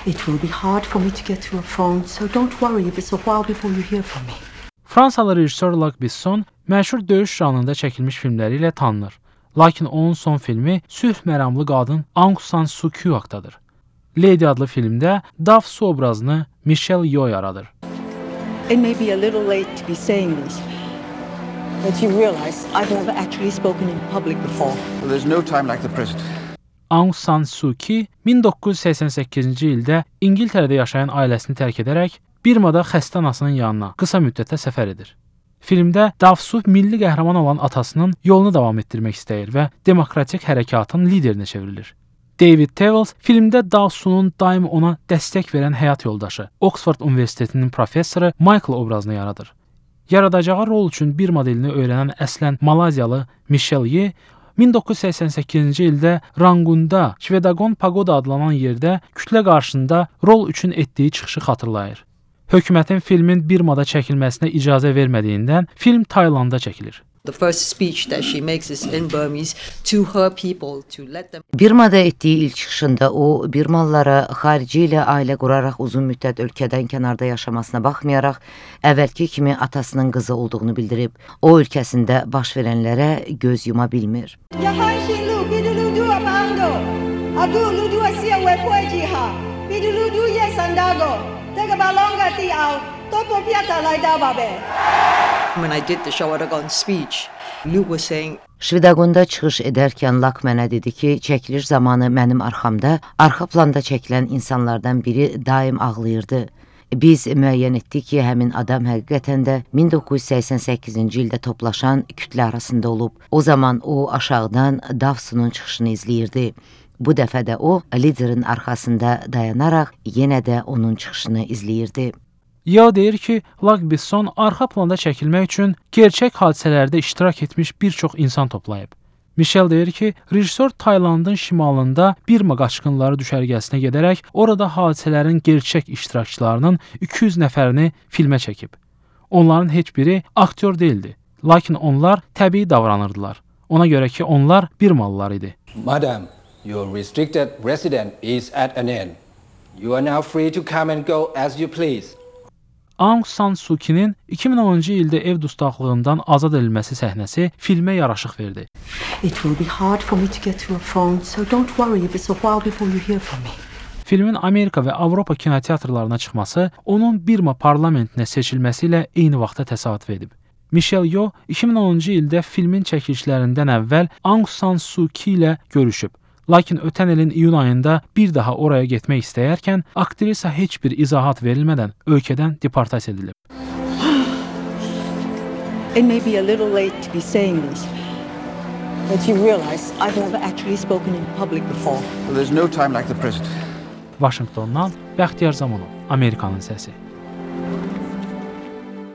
It will be hard for me to get to a phone, so don't worry if it's a while before you hear from me. Fransalı rejissor Luc Besson məşhur döyüş janrında çəkilmiş filmləri ilə tanınır. Lakin onun son filmi sülh məramlı qadın Aung San Suu Kyi haqqındadır. Lady adlı filmdə Daf Su obrazını Michelle Yeoh yaradır. It may be a little late to be saying this, but you realize I've never actually spoken in public before. Well, there's no time like the present. Aung San Suu Kyi 1988-ci ildə İngiltərədə yaşayan ailəsini tərk edərək Birmada xəstə anasının yanına qısa müddətə səfər edir. Filmdə Daf Su milli qəhrəman olan atasının yolunu davam etdirmək istəyir və demokratik hərəkatın liderinə çevrilir. David Tewels filmdə Daf Su'nun daim ona dəstək verən həyat yoldaşı, Oxford Universitetinin professoru Michael obrazını yaradır. Yaradacağı rol üçün Birma dilini öyrənən əslən Malaziyalı Michelle Yeoh 1988-ci ildə Rangunda, Shwedagon Pagoda adlanan yerdə kütlə qarşısında rol üçün etdiyi çıxışı xatırlayır. Hökumətin filmin Birmada çəkilməsinə icazə vermədiyindən film Taylanda çəkilir. The first speech that she makes is in Burmese to her people to let them. Birmada etdiyi ilk çıxışında o, Birmalılara xarici ilə ailə quraraq uzun müddət ölkədən kənarda yaşamasına baxmayaraq, əvvəlki kimi atasının qızı olduğunu bildirib, o ölkəsində baş verənlərə göz yuma bilmir. When I did the Shawadagon speech, Luke was saying, Shwedagonda çıxış edərkən Lak mənə dedi ki, çəkiliş zamanı mənim arxamda, arxa planda çəkilən insanlardan biri daim ağlayırdı. Biz müəyyən etdik ki, həmin adam həqiqətən də 1988-ci ildə toplaşan kütlə arasında olub. O zaman o aşağıdan Daf Su'nun çıxışını izləyirdi. Bu dəfə də o, liderin arxasında dayanaraq yenə də onun çıxışını izləyirdi. Yeoh deyir ki, Luc Besson arxa planda çəkilmək üçün gerçək hadisələrdə iştirak etmiş bir çox insan toplayıb. Michelle deyir ki, rejissor Taylandın şimalında Birma qaçqınları düşərgəsinə gedərək orada hadisələrin gerçək iştirakçılarının 200 nəfərini filmə çəkib. Onların heç biri aktyor değildi, lakin onlar təbii davranırdılar. Ona görə ki, onlar Birmalılar idi. Madam, your restricted residence is at an end. You are now free to come and go as you please. Aung San Suu Kyi'nin 2010-cu ildə ev dustaqlığından azad edilməsi səhnəsi filmə yaraşıq verdi. It will be hard for me to get to a phone, so don't worry if it's a while before you hear from me. Filmin Amerika və Avropa kinoteatrlarına çıxması onun Birma parlamentinə seçilməsi ilə eyni vaxtda təsadüf edib. Michelle Yeoh 2010-cu ildə filmin çəkilişlərindən əvvəl Aung San Suu Kyi ilə görüşüb. Lakin ötən ilin iyun ayında bir daha oraya getmək istəyərkən aktrisa heç bir izahat verilmədən ölkədən deportasiya edilib. It may be a little late to be saying this, but you realize I've never actually spoken in public before. Well, there's no time like the present. Vaşinqtondan Bəxtiyar Zamanov, Amerikanın səsi.